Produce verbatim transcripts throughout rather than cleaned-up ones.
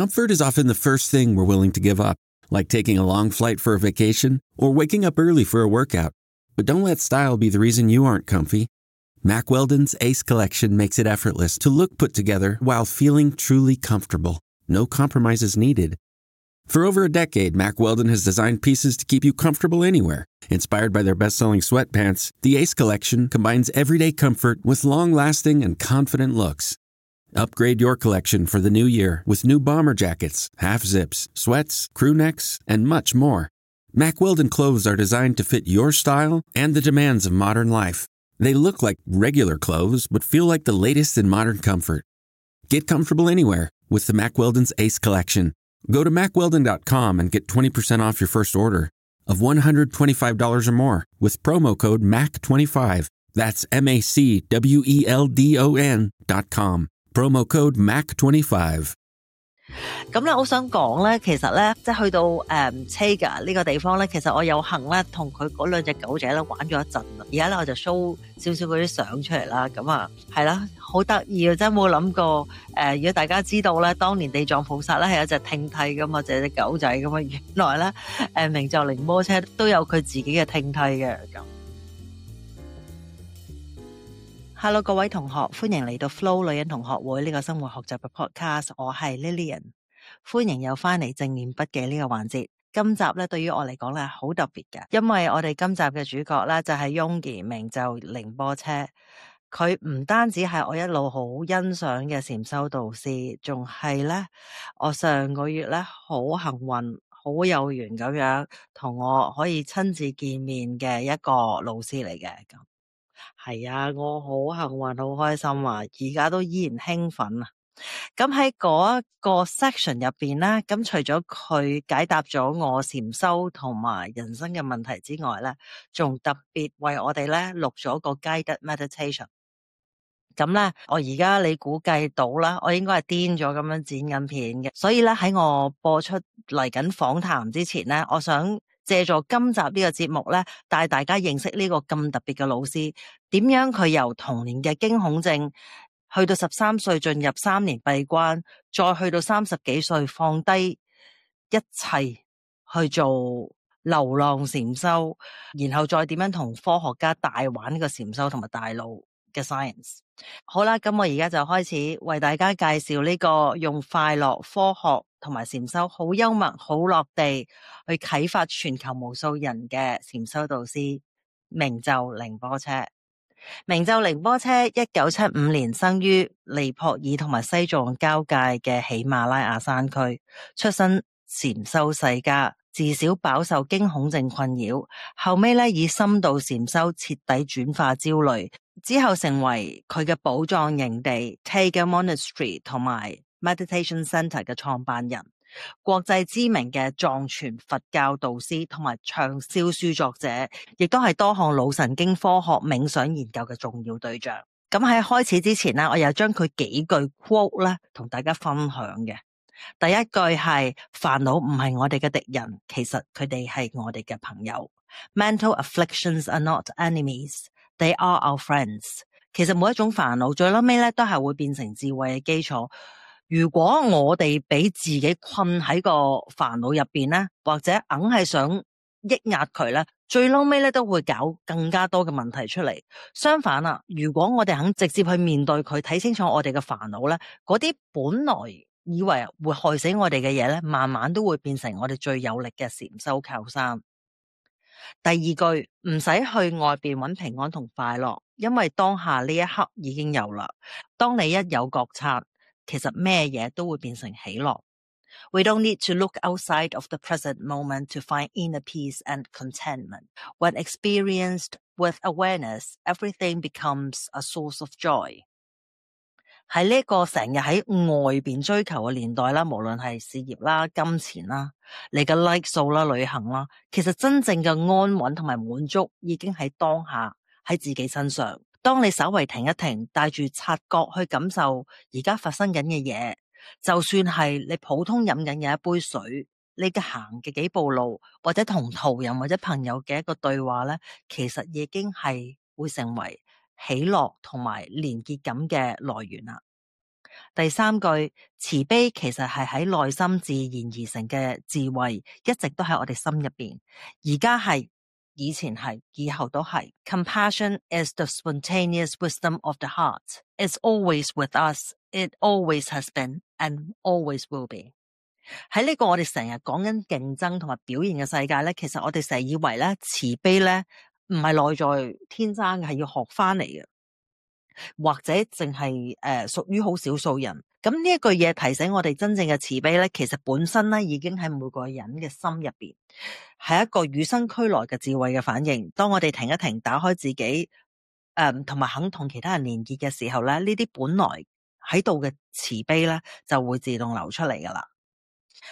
Comfort is often the first thing we're willing to give up, like taking a long flight for a vacation or waking up early for a workout. But don't let style be the reason you aren't comfy. Mack Weldon's Ace Collection makes it effortless to look put together while feeling truly comfortable. No compromises needed. For over a decade, Mack Weldon has designed pieces to keep you comfortable anywhere. Inspired by their best-selling sweatpants, the Ace Collection combines everyday comfort with long-lasting and confident looks. Upgrade your collection for the new year with new bomber jackets, half-zips, sweats, crew necks, and much more. Mack Weldon clothes are designed to fit your style and the demands of modern life. They look like regular clothes, but feel like the latest in modern comfort. Get comfortable anywhere with the Mack Weldon's Ace Collection. Go to mack weldon dot com and get twenty percent off your first order of one hundred twenty-five dollars or more with promo code M A C twenty-five. That's M A C W E L D O N dot com. Promo code M A C twenty-five。咁咧，我想講咧，其實咧，即係去到誒 Tega 呢個地方咧，其實我有幸咧同佢嗰兩隻狗仔咧玩咗一陣啦。而家咧我就 show 少少嗰啲相出嚟啦。咁啊，係啦，好得意啊！真係冇諗過誒，如果大家知道咧，當年地藏菩薩咧係一隻聽替噶嘛，就係隻狗仔噶嘛。原來咧誒明就靈波車都有佢自己嘅聽替嘅咁。Hello 各位同學，歡迎嚟到 Flo 女人同學會呢個生活學習嘅 podcast， 我係 Lillian， 歡迎又返嚟正念筆記呢個環節。今集咧對於我嚟講咧好特別嘅，因為我哋今集嘅主角咧就係 Yonggi 明就靈波車，佢唔單止係我一路好欣賞嘅禪修導師，仲係咧我上個月咧好幸運好有緣咁樣同我可以親自見面嘅一個老師嚟嘅咁。係啊，我好幸運好開心啊，而家都依然興奮啊。咁喺嗰一個 section 入邊咧，咁除咗佢解答咗我禪修同埋人生嘅問題之外咧，仲特別為我哋咧錄咗個 guided meditation。咁咧，我而家你估計到啦，我應該係癲咗咁樣剪緊片嘅，所以咧喺我播出嚟緊訪談之前咧，我想借助今集呢個節目咧，帶大家認識呢個咁特別嘅老師，點樣佢由童年嘅驚恐症，去到十三歲進入三年閉關，再去到三十幾歲放低一切去做流浪禪修，然後再點樣同科學家大玩呢個禪修同埋大腦嘅 science。 好啦，咁我而家就開始為大家介紹呢個用快樂、科學同埋禪修好幽默好落地去啟發全球無數人嘅禪修導師明就靈波車。明就靈波車一九七五年生於尼泊爾同埋西藏交界嘅喜馬拉雅山區，出身禪修世家，自小飽受驚恐症困擾，後尾咧以深度禪修徹底轉化焦慮，之後成為佢嘅寶藏營地 Tega Monastery 同埋 Meditation Center 嘅創辦人，國際知名嘅藏傳佛教導師同埋暢銷書作者，亦都係多項腦神經科學冥想研究嘅重要對象。咁喺開始之前呢，我又將佢幾句 quote 咧同大家分享嘅。第一句係煩惱唔係我哋嘅敵人，其實佢哋係我哋嘅朋友。Mental afflictions are not enemies, they are our friends。 其實每一種煩惱最嬲尾咧都係會變成智慧嘅基礎。如果我哋俾自己困喺個煩惱入邊咧，或者硬係想抑壓佢咧，最嬲尾咧都會搞更加多嘅問題出嚟。相反啊，如果我哋肯直接去面對佢，睇清楚我哋嘅煩惱咧，嗰啲本來以為會害死我哋嘅嘢咧，慢慢都會變成我哋最有力嘅禪修靠山。第二句，唔使去外邊揾平安同快樂，因為當下呢一刻已經有啦。當你一有覺察，其實咩嘢都會變成喜樂。We don't need to look outside of the present moment to find inner peace and contentment. When experienced with awareness, everything becomes a source of joy. 喺呢個成日喺外邊追求嘅年代啦，無論係事業啦、金錢啦、你嘅 like 數啦、旅行啦，其實真正嘅安穩同埋滿足已經喺當下喺自己身上。當你稍為停一停，帶住察覺去感受而家發生緊嘅嘢，就算係你普通飲緊嘅一杯水，你嘅行嘅幾步路，或者同途人或者朋友嘅一個對話咧，其實已經係會成為喜樂同埋連結感嘅來源啦。第三句，慈悲其實係喺內心自然而成嘅智慧，一直都喺我哋心入邊，而家係，以前係，以後都係。Compassion is the spontaneous wisdom of the heart. It's always with us. It always has been and always will be. 喺呢個我哋成日講緊競爭同埋表現嘅世界咧，其實我哋成日以為咧慈悲咧唔係內在天生嘅，係要學翻嚟嘅，或者淨係誒屬於好少數人。咁呢一句嘢提醒我哋，真正嘅慈悲咧，其實本身咧已經喺每個人嘅心入邊，係一個與生俱來嘅智慧嘅反應。當我哋停一停，打開自己，誒同埋肯同其他人連結嘅時候咧，呢啲本來喺度嘅慈悲咧就會自動流出嚟噶啦。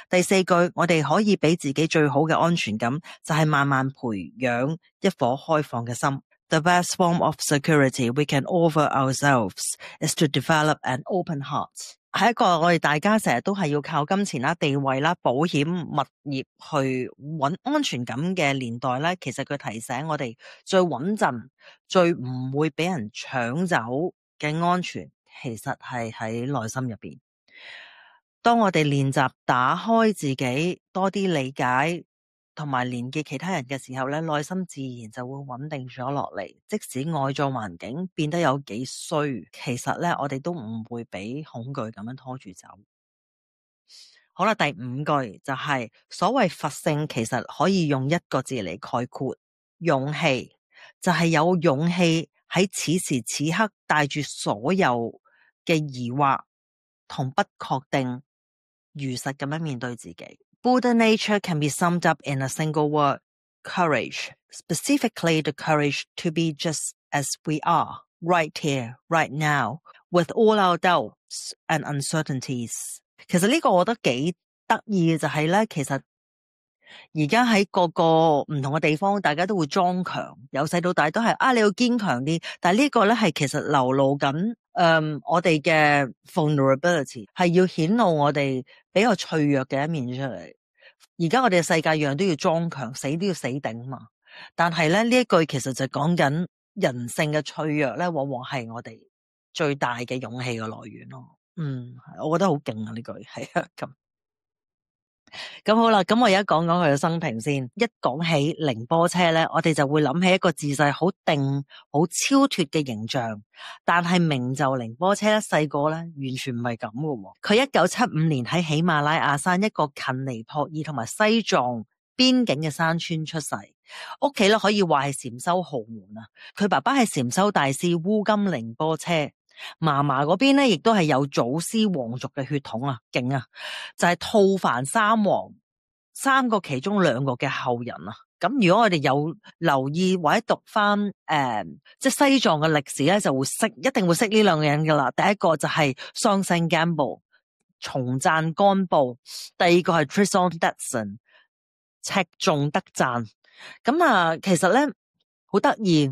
第四句，我哋可以俾自己最好嘅安全感，就係慢慢培養一顆開放嘅心。The best form of security we can offer ourselves is to develop an open heart. 係一個我哋大家成日都係要靠金錢啦、地位啦、保險、物業去揾安全感嘅年代咧，其實佢提醒我哋最穩陣、最唔會俾人搶走嘅安全，其實係喺內心入邊。當我哋練習打開自己，多啲理解同埋連結其他人嘅時候咧，內心自然就會穩定咗落嚟。即使外在環境變得有幾衰，其實咧我哋都唔會俾恐懼咁樣拖住走。好啦，第五句就係、是、所謂佛性，其實可以用一個字嚟概括，勇氣。就係、是、有勇氣喺此時此刻帶住所有嘅疑惑同不確定，如實咁樣面對自己。Buddha nature can be summed up in a single word, courage. Specifically the courage to be just as we are, right here, right now, with all our doubts and uncertainties. 其實呢個我覺得幾得意嘅就係咧，其實而家喺各個唔同嘅地方，大家都會裝強，由細到大都係啊，你要堅強啲。但係呢個咧係其實流露緊。誒、um, 我哋嘅 vulnerability 係要顯露我哋比較脆弱嘅一面出嚟。而家我哋嘅世界樣都要裝強，死都要死頂嘛。但係咧呢一句其實就講緊人性嘅脆弱咧，往往係我哋最大嘅勇氣嘅來源咯。嗯，我覺得好勁啊呢句，係啊咁。咁好啦，咁我而家講講佢嘅生平先。一講起寧波車咧，我哋就會諗起一個自細好定、好超脫嘅形象。但係明就寧波車咧，細個咧完全唔係咁嘅。佢一九七五年喺喜馬拉雅山一個近尼泊爾同埋西藏邊境嘅山村出世，屋企咧可以話係禪修豪門啊。佢爸爸係禪修大師烏金寧波車。嫲嫲嗰邊咧，亦都係有祖師皇族嘅血統啊，勁啊！就係吐蕃三王三個其中兩個嘅後人啊。咁如果我哋有留意或者讀翻誒、呃，即係西藏嘅歷史咧，就會識，一定會識呢兩個人噶啦。第一個就係桑聖干布，松贊干布；第二個係 Trison Datsun， 赤仲德贊。咁啊，其實咧好得意。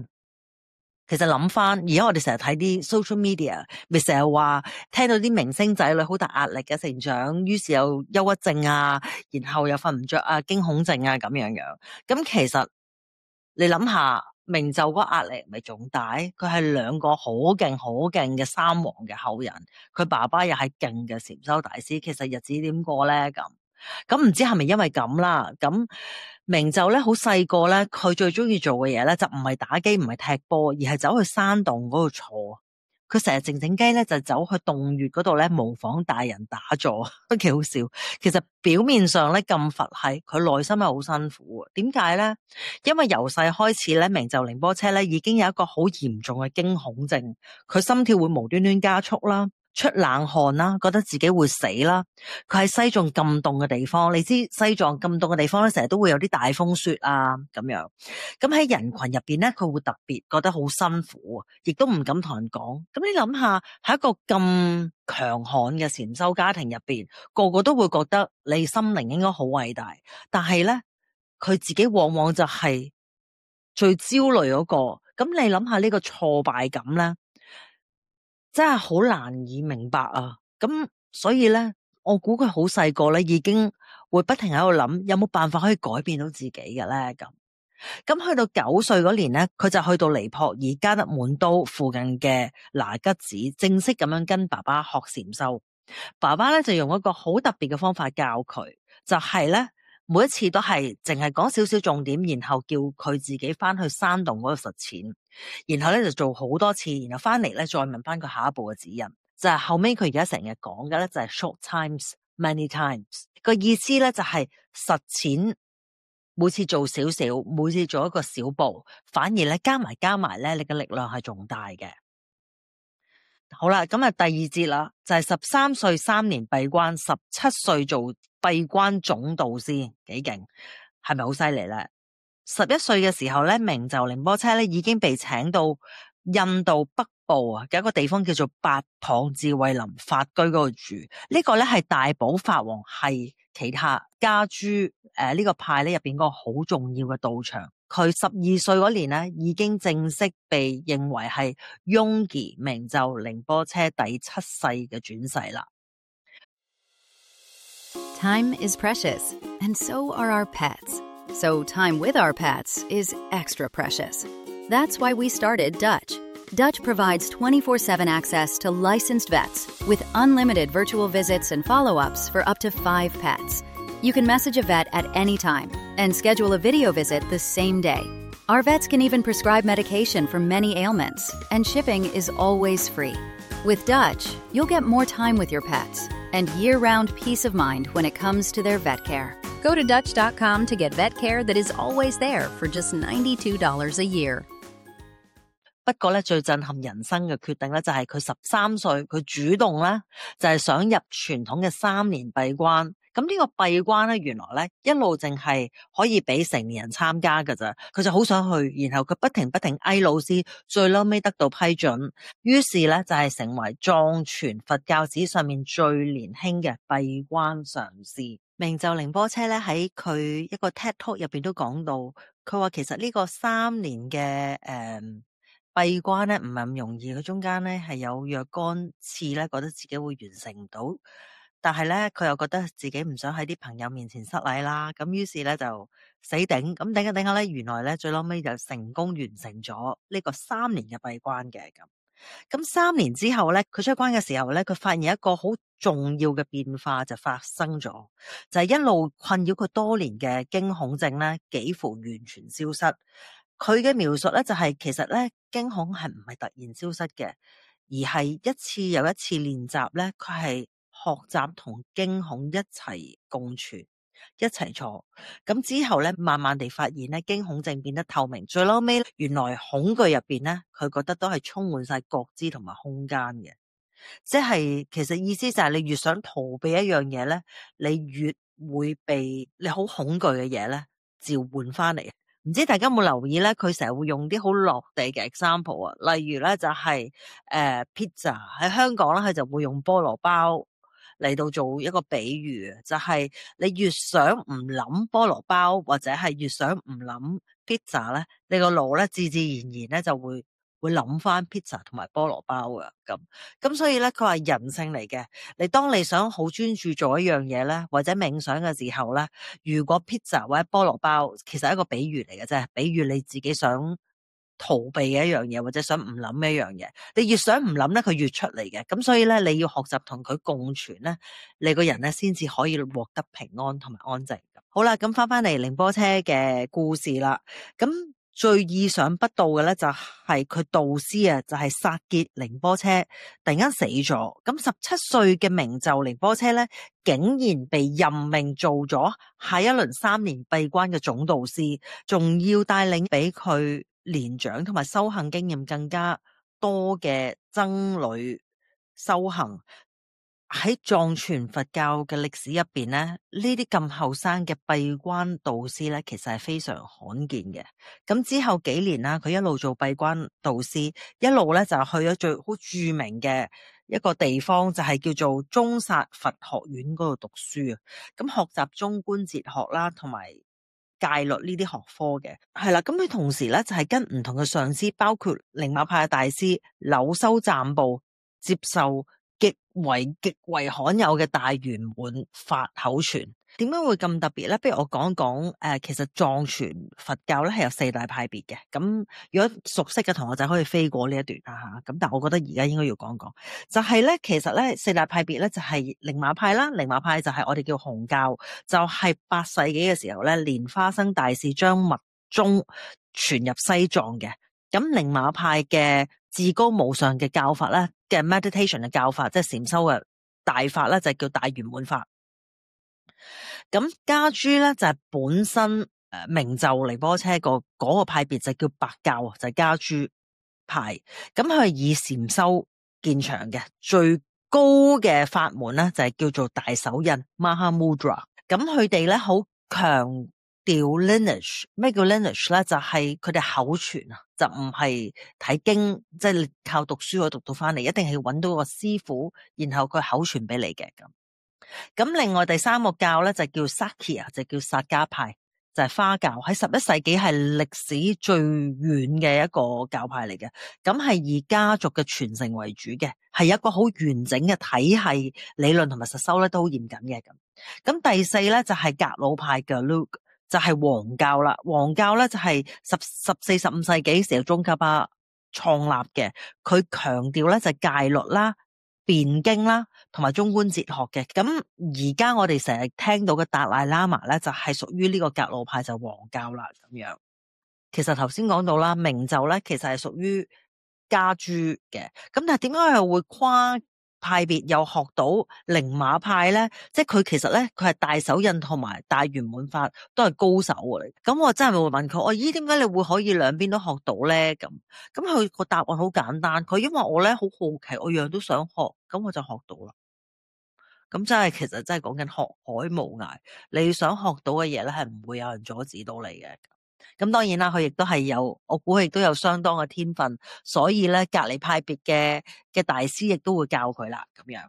其實諗翻，而家我哋成日睇啲 social media， 咪成日話聽到啲明星仔女好大壓力嘅成長，於是有憂鬱症啊，然後又瞓唔着啊，驚恐症啊咁樣樣。咁其實你諗下，明就嗰壓力咪仲大？佢係兩個好勁好勁嘅三王嘅後人，佢爸爸又係勁嘅禪修大師。其實日子點過咧？咁咁唔知係咪因為咁啦？咁明就咧好細個咧，佢最中意做嘅嘢咧就唔係打機，唔係踢波，而係走去山洞嗰度坐。佢成日靜靜雞咧就走去洞穴嗰度咧模仿大人打坐，都幾好笑。其實表面上咧咁佛系，佢內心係好辛苦。點解咧？因為由細開始咧，明就寧波車咧已經有一個好嚴重嘅驚恐症，佢心跳會無端端加速啦，出冷汗啦，覺得自己會死啦。佢喺西藏咁凍嘅地方，你知西藏咁凍嘅地方咧，成日都會有啲大風雪啊咁樣。咁喺人群入邊咧，佢會特別覺得好辛苦，亦都唔敢同人講。咁你諗下，喺一個咁強悍嘅禪修家庭入邊，個個都會覺得你心靈應該好偉大，但係咧，佢自己往往就係最焦慮嗰個。咁你諗下呢個挫敗感咧，真係好難以明白啊！咁所以咧，我估佢好細個咧，已經會不停喺度諗，有冇辦法可以改變到自己嘅咧？咁咁去到九歲嗰年咧，佢就去到尼泊爾加德滿都附近嘅拿吉子，正式咁樣跟爸爸學禪修。爸爸咧就用一個好特別嘅方法教佢，就係咧每一次都係淨係講少少重點，然後叫佢自己翻去山洞嗰度實踐，然後咧就做好多次，然後翻嚟咧再問翻佢下一步嘅指引。就係後尾佢而家成日講嘅咧就係 short times many times， 個意思咧就係實踐。每次做少少，每次做一個小步，反而咧加埋加埋咧，你嘅力量係仲大嘅。好啦，咁啊第二節啦，就係十三歲三年閉關，十七歲做閉關總導師，幾勁，係咪好犀利咧？十一歲嘅時候咧，明就寧波車咧已經被請到印度北部啊嘅一個地方叫做八塘智慧林法居嗰度住。呢、這個咧係大寶法王係其他家珠誒呢、呃這個派咧入邊嗰個好重要嘅道場。佢十二歲嗰年咧已經正式被認為係雍儀明就寧波車第七世嘅轉世啦。Time is precious, and so are our pets. So time with our pets is extra precious. That's why we started Dutch. Dutch provides twenty-four seven access to licensed vets with unlimited virtual visits and follow-ups for up to five pets. You can message a vet at any time and schedule a video visit the same day. Our vets can even prescribe medication for many ailments, and shipping is always free. With Dutch, you'll get more time with your pets and year-round peace of mind when it comes to their vet care. Go to Dutch dot com to get vet care that is always there for just ninety-two dollars a year. 不過咧，最震撼人生嘅決定咧，就係佢十三歲，佢主動咧就係想入傳統嘅三年閉關。咁呢個閉關咧，原來咧一路淨係可以俾成年人參加㗎咋，佢就好想去，然後佢不停不停嗌老師，最嬲尾得到批准，於是咧就係成為藏傳佛教史上面最年輕嘅閉關上師。明就寧波車咧喺佢一個 TED Talk 入邊都講到，佢話其實呢個三年嘅誒。嗯閉關咧唔係咁容易，佢中間咧係有若干次咧覺得自己會完成唔到，但係咧佢又覺得自己唔想喺啲朋友面前失禮啦，咁於是咧就死頂，咁頂下頂下咧，原來咧最撈尾就成功完成咗呢個三年嘅閉關嘅。咁咁三年之後咧，佢出關嘅時候咧，佢發現一個好重要嘅變化就發生咗，就係一路困擾佢多年嘅驚恐症咧幾乎完全消失。佢嘅描述咧就係其實咧驚恐係唔係突然消失嘅，而係一次又一次練習咧，佢係學習同驚恐一齊共存，一齊坐。咁之後咧，慢慢地發現咧驚恐症變得透明，最後尾原來恐懼入邊咧，佢覺得都係充滿晒覺知同埋空間嘅。即係其實意思就係你越想逃避一樣嘢咧，你越會被你好恐懼嘅嘢咧召喚翻嚟。唔知大家有冇留意咧？佢成日會用啲好落地嘅 example 啊，例如咧就係、是、誒、呃、pizza 喺香港咧，佢就會用菠蘿包嚟到做一個比喻，就係、是、你越想唔諗菠蘿包或者係越想唔諗 pizza 咧，你個腦咧自自然然咧就會會諗翻 pizza 同埋菠蘿包嘅。咁咁所以咧佢話人性嚟嘅，你當你想好專注做一樣嘢咧，或者冥想嘅時候咧，如果 pizza 或者菠蘿包其實係一個比喻嚟嘅啫，比喻你自己想逃避嘅一樣嘢，或者想唔諗嘅一樣嘢，你越想唔諗咧，佢越出嚟嘅。咁所以咧你要學習同佢共存咧，你個人咧先至可以獲得平安同埋安靜。好啦，咁翻翻嚟寧波車嘅故事啦，咁最意想不到嘅咧就係佢導師啊，就係薩傑寧波車突然間死咗。咁十七歲嘅明就寧波車咧，竟然被任命做咗下一輪三年閉關嘅總導師，仲要帶領俾佢年長同埋修行經驗更加多嘅僧侶修行。喺藏傳佛教嘅歷史入邊咧，呢啲咁後生嘅閉關導師咧，其實係非常罕見嘅。咁之後幾年啦，佢一路做閉關導師，一路咧就去咗最好著名嘅一個地方，就係叫做中薩佛學院嗰度讀書啊。咁學習中觀哲學啦，同埋戒律呢啲學科嘅，係啦。咁佢同時咧就係跟唔同嘅上師，包括寧瑪派嘅大師柳修暫布接受極為極為罕有嘅大圓滿法口傳。點解會咁特別咧？不如我講講誒，其實藏傳佛教咧係有四大派別嘅。咁如果熟悉嘅同學仔可以飛過呢一段啊吓。咁但係我覺得而家應該要講講，就係咧，其實咧四大派別咧就係寧瑪派啦。寧瑪派就係我哋叫紅教，就係八世紀嘅時候咧，蓮花生大士將密宗傳入西藏嘅。咁寧瑪派嘅至高無上嘅教法咧嘅 meditation 嘅教法，即係禪修嘅大法咧，就叫大圓滿法。咁噶舉咧就係本身誒明就仁波切個嗰個派別就叫白教，就係噶舉派。咁佢係以禪修見長嘅，最高嘅法門咧就係叫做大手印 Mahamudra。咁佢哋咧好強調 lineage。咩叫 lineage 咧？就係佢哋口傳啊，就唔係睇經，即係你靠讀書可以讀到翻嚟，一定係揾到個師傅，然後佢口傳俾你嘅咁。咁另外第三個教咧就叫 Sakya， 就叫薩迦派，就係花教，喺十一世紀係歷史最遠嘅一個教派嚟嘅。咁係以家族嘅傳承為主嘅，係一個好完整嘅體系，理論同埋實修咧都好嚴謹嘅咁。咁第四咧就係格魯派嘅 Gelug， 就係黃教啦。黃教咧就係十十四十五世紀時候宗喀巴創立嘅，佢強調咧就係戒律啦、辯經啦，同埋中觀哲學嘅。咁而家我哋成日聽到嘅達賴喇嘛咧，就係屬於呢個格魯派，就黃教啦咁樣。其實頭先講到啦，明就咧其實係屬於噶舉嘅。咁但係點解又會跨派別又學到寧瑪派咧？即係佢其實咧佢係大手印同埋大圓滿法都係高手嚟。咁我真係會問佢，我咦點解你會可以兩邊都學到咧？咁咁佢個答案好簡單，佢因為我咧好好奇，我樣都想學，咁我就學到啦。咁真係其實真係講緊學海無涯，你想學到嘅嘢咧係唔會有人阻止到你嘅。咁當然啦，佢亦都係有，我估佢亦都有相當嘅天分，所以咧隔離派別嘅嘅大師亦都會教佢啦，咁樣。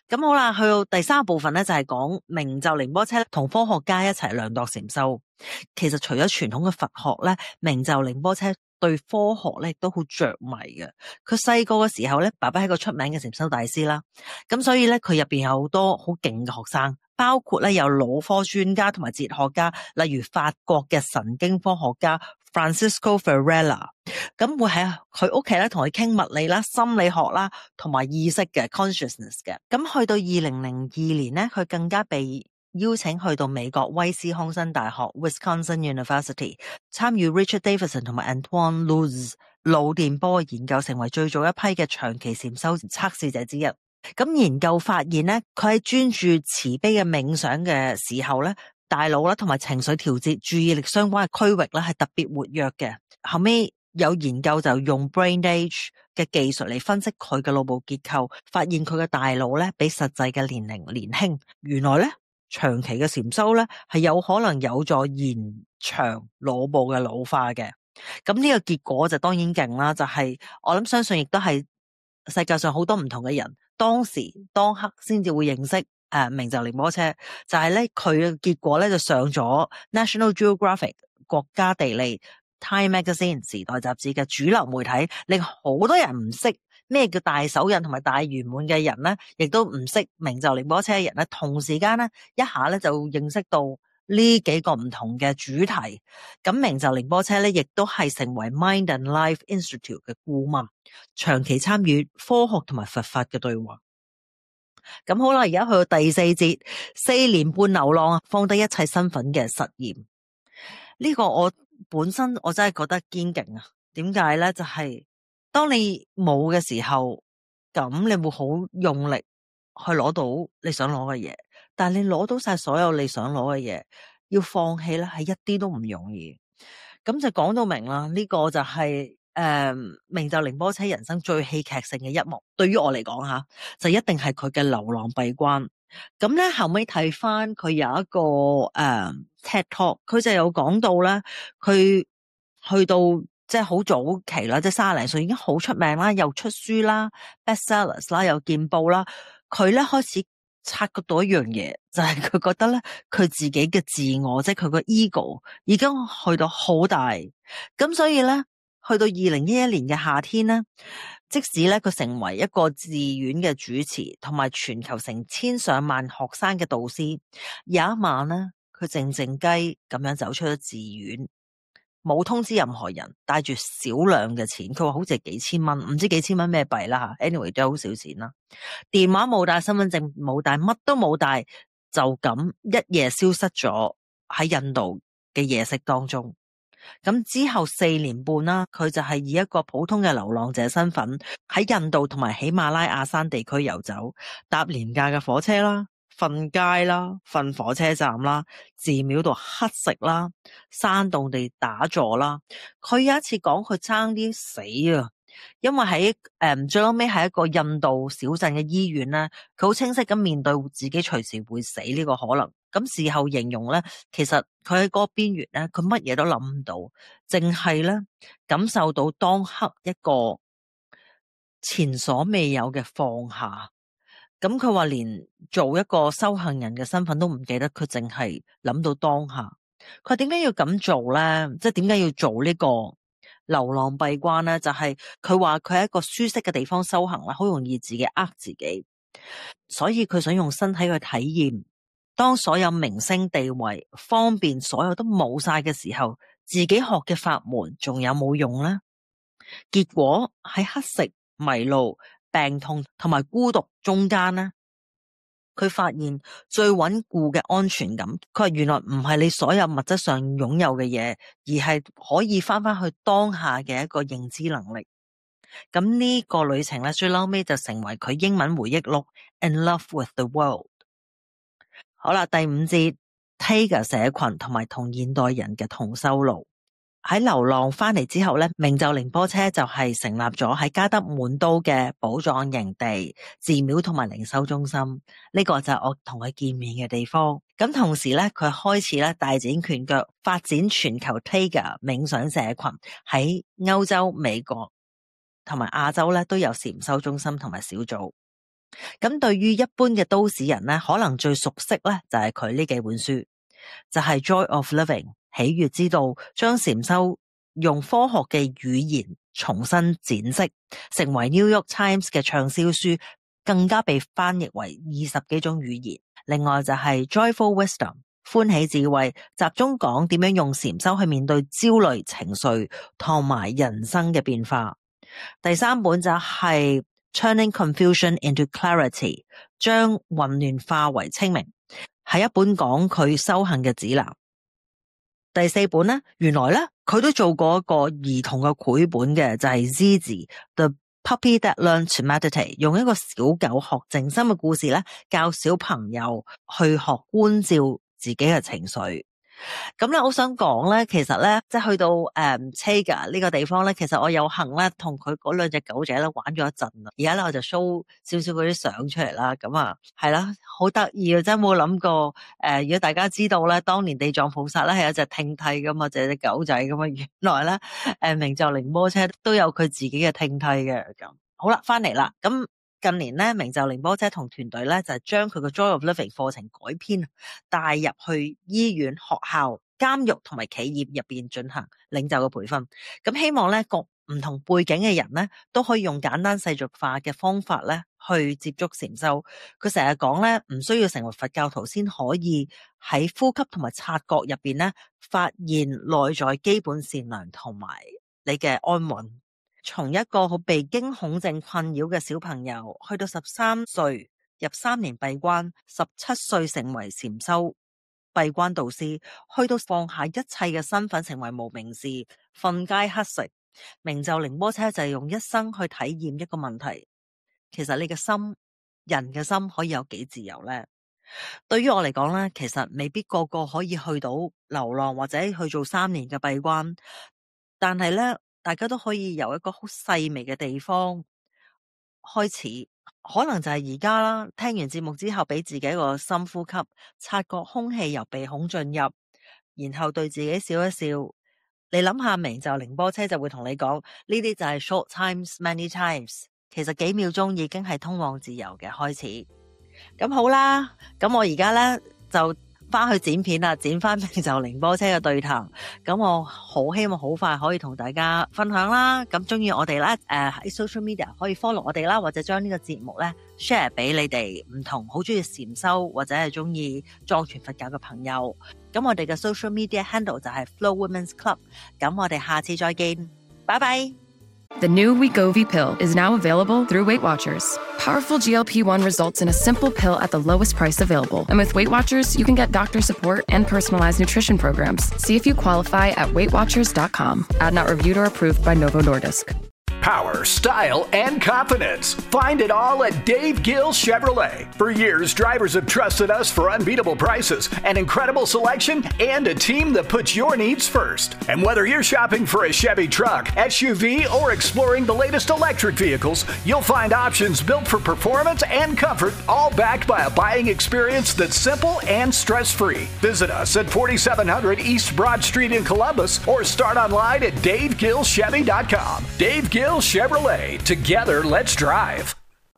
咁好啦，去到第三部分咧就係講明就仁波切同科學家一齊量度禪修。其實除咗傳統嘅佛學咧，明就仁波切對科學咧亦都好着迷嘅。佢細個嘅時候咧，爸爸係個出名嘅禪修大師啦，咁所以咧佢入邊有好多好勁嘅學生。包括咧有腦科專家同埋哲學家，例如法國嘅神經科學家 Francisco Varela， 咁會喺佢屋企咧同佢傾物理啦、心理學啦同埋意識嘅 consciousness 嘅。咁去到二零零二年咧，佢更加被邀請去到美國威斯康辛大學 Wisconsin University 參與 Richard Davidson 同埋 Antoine Luz 腦電波嘅研究，成為最早一批嘅長期禪修測試者之一。咁研究發現咧，佢喺專注慈悲嘅冥想嘅時候咧，大腦啦同埋情緒調節、注意力相關嘅區域咧係特別活躍嘅。後尾有研究就用 Brain Age 嘅技術嚟分析佢嘅腦部結構，發現佢嘅大腦咧比實際嘅年齡年輕。原來咧長期嘅禪修咧係有可能有助延長腦部嘅老化嘅。咁呢個結果就當然勁啦，就係、是、我諗相信亦都係世界上好多唔同嘅人。當時當刻先至會認識誒明就仁波切，就係咧佢嘅結果咧就上咗 National Geographic 國家地理 Time Magazine 時代雜誌嘅主流媒體，令好多人唔識咩叫大手印同埋大圓滿嘅人咧，亦都唔識明就仁波切嘅人咧，同時間咧一下咧就認識到呢幾個唔同嘅主題。咁明就仁波切咧亦都係成為 Mind and Life Institute 嘅顧問，長期參與科學同埋佛法嘅對話。咁好啦，而家去到第四節，四年半流浪，放低一切身份嘅實驗。呢、這個我本身我真係覺得堅勁啊！點解咧？就係、是、當你冇嘅時候，咁你會好用力去攞到你想攞嘅嘢，但係你攞到晒所有你想攞嘅嘢，要放棄咧係一啲都唔容易。咁就講到明啦，呢、這個就係、是。誒、嗯，明就仁波切人生最戲劇性嘅一幕，對於我嚟講吓，就一定係佢嘅流浪閉關。咁咧後尾睇翻佢有一個誒、嗯、TED Talk， 佢就有講到咧，佢去到即係好早期啦，即係卅零歲已經好出名啦，又出書啦 ，bestsellers 啦，又見報啦。佢咧開始察覺到一樣嘢，就係、是、佢覺得咧，佢自己嘅自我，即係佢個 ego 已經去到好大，咁所以咧。去到二零一一年嘅夏天咧，即使咧佢成為一個寺院嘅主持，同埋全球成千上萬學生嘅導師，有一晚咧，佢靜靜雞咁樣走出咗寺院，冇通知任何人，帶住少量嘅錢，佢話好似係幾千蚊，唔知幾千蚊咩幣啦吓 ，anyway 都好少錢啦。電話冇帶，身份證冇帶，乜都冇帶，就咁一夜消失咗喺印度嘅夜色當中。咁之後四年半啦，佢就係以一個普通嘅流浪者身份喺印度同埋喜馬拉雅山地區遊走，搭廉價嘅火車啦，瞓街啦，瞓火車站啦，寺廟度乞食啦，山洞地打坐啦。佢有一次講佢爭啲死啊，因為喺誒、嗯、最後尾喺一個印度小鎮嘅醫院咧，佢好清晰咁面對自己隨時會死呢個可能。咁事後形容咧，其實佢喺嗰個邊緣咧，佢乜嘢都諗唔到，淨係咧感受到當刻一個前所未有嘅放下。咁佢話連做一個修行人嘅身份都唔記得，佢淨係諗到當下。佢話點解要咁做咧？即係點解要做呢個流浪閉關咧？就係佢話佢喺一個舒適嘅地方修行啦，好容易自己呃自己，所以佢想用身體去體驗。當所有名聲地位方便所有都冇晒嘅時候，自己學嘅法門仲有冇用呢？結果喺乞食、迷路、病痛同埋孤獨中間呢，佢發現最穩固嘅安全感，佢話原來唔係你所有物質上擁有嘅嘢，而係可以翻翻去當下嘅一個認知能力。咁呢個旅程咧，最後尾就成為佢英文回憶錄 In Love with the World。好啦，第五節 Taiga 社群同埋同現代人嘅同修路。喺流浪翻嚟之後咧，明就寧波車就係成立咗喺加德滿都嘅寶藏營地、寺廟同埋靈修中心。呢、這個就係我同佢見面嘅地方。咁同時咧，佢開始咧大展拳腳，發展全球 Taiga 冥想社群，喺歐洲、美國同埋亞洲咧都有禪修中心同埋小組。咁對於一般嘅都市人咧，可能最熟悉咧就係佢呢幾本書，就係、是、Joy of Living 喜悅之道，將禪修用科學嘅語言重新展釋，成為 New York Times 嘅暢銷書，更加被翻譯為二十幾種語言。另外就係 Joyful Wisdom 歡喜智慧，集中講點樣用禪修去面對焦慮情緒同埋人生嘅變化。第三本就係Turning Confusion into Clarity， 將混亂化為清明，係一本講佢修行嘅指南。第四本呢，原來咧佢都做過一個兒童嘅繪本嘅，就係 Zizi The Puppy That Learned to Meditate， 用一個小狗學靜心嘅故事咧，教小朋友去學觀照自己嘅情緒。咁咧，我想講咧，其實咧，即係去到誒 Taiga 呢個地方咧，其實我有幸咧，同佢嗰兩隻狗仔咧玩咗一陣啦。而家咧，我就 show 少少嗰啲相出嚟啦。咁啊，係啦，好得意啊！真係冇諗過誒、呃，如果大家知道咧，當年地藏菩薩咧係有隻聽替噶嘛，就係隻狗仔咁啊。原來咧，誒明就寧波車都有佢自己嘅聽替嘅。咁好啦，翻嚟啦，咁。近年咧，明就寧波車同團隊咧就係將佢個 Joy of Living 課程改編，帶入去醫院、學校、監獄同埋企業入邊進行領袖嘅培訓。咁希望咧，各唔同背景嘅人咧都可以用簡單世俗化嘅方法咧去接觸禪修。佢成日講咧，唔需要成為佛教徒先可以喺呼吸同埋察覺入邊咧發現內在基本善良同埋你嘅安穩。從一個好被驚恐症困擾嘅小朋友，去到十三歲入三年閉關，十七歲成為禪修閉關導師，去到放下一切嘅身份，成為無名氏，瞓街乞食。明就寧波車就係用一生去體驗一個問題，其實你嘅心，人嘅心可以有幾自由呢？對於我嚟講呢，其實未必個個可以去到流浪或者去做三年嘅閉關，但係呢。大家都可以由一個好細微嘅地方開始，可能就係而家啦。聽完節目之後，俾自己一個深呼吸，察覺空氣由鼻孔進入，然後對自己笑一笑。你諗下，明就寧波車就會同你講，呢啲就係 short times many times， 其實幾秒鐘已經係通往自由嘅開始。咁好啦，咁我而家呢就翻去剪片啦，剪翻平就寧波車嘅對談。咁我好希望好快可以同大家分享啦。咁中意我哋啦，誒、呃、喺 social media 可以 follow 我哋啦，或者將呢個節目咧 share 俾你哋唔同好中意禪修或者係中意藏傳佛教嘅朋友。咁我哋嘅 social media handle 就係 Flo Women's Club。咁我哋下次再見，拜拜。The new Wegovy pill is now available through Weight Watchers. Powerful G L P one results in a simple pill at the lowest price available. And with Weight Watchers, you can get doctor support and personalized nutrition programs. See if you qualify at weight watchers dot com. Ad not reviewed or approved by Novo Nordisk. Power, style, and confidence. Find it all at Dave Gill Chevrolet. For years, drivers have trusted us for unbeatable prices, an incredible selection, and a team that puts your needs first. And whether you're shopping for a Chevy truck, S U V, or exploring the latest electric vehicles, you'll find options built for performance and comfort, all backed by a buying experience that's simple and stress-free. Visit us at forty-seven hundred East Broad Street in Columbus, or start online at dave gill chevy dot com. Dave Gill Chevrolet. Together, let's drive.